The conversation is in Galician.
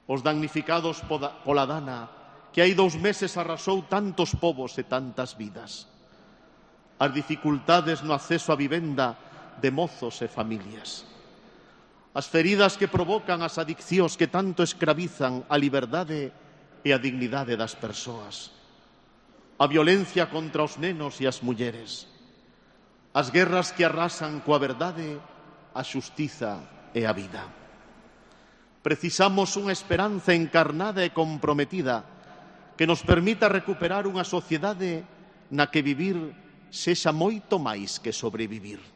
os damnificados pola dana que hai 2 meses arrasou tantos povos e tantas vidas, as dificultades no acceso á vivenda de mozos e familias, as feridas que provocan as adiccións que tanto escravizan a liberdade e a dignidade das persoas, a violencia contra os nenos e as mulleres, as guerras que arrasan coa verdade, a xustiza e a vida. Precisamos unha esperanza encarnada e comprometida que nos permita recuperar unha sociedade na que vivir sexa moito máis que sobrevivir.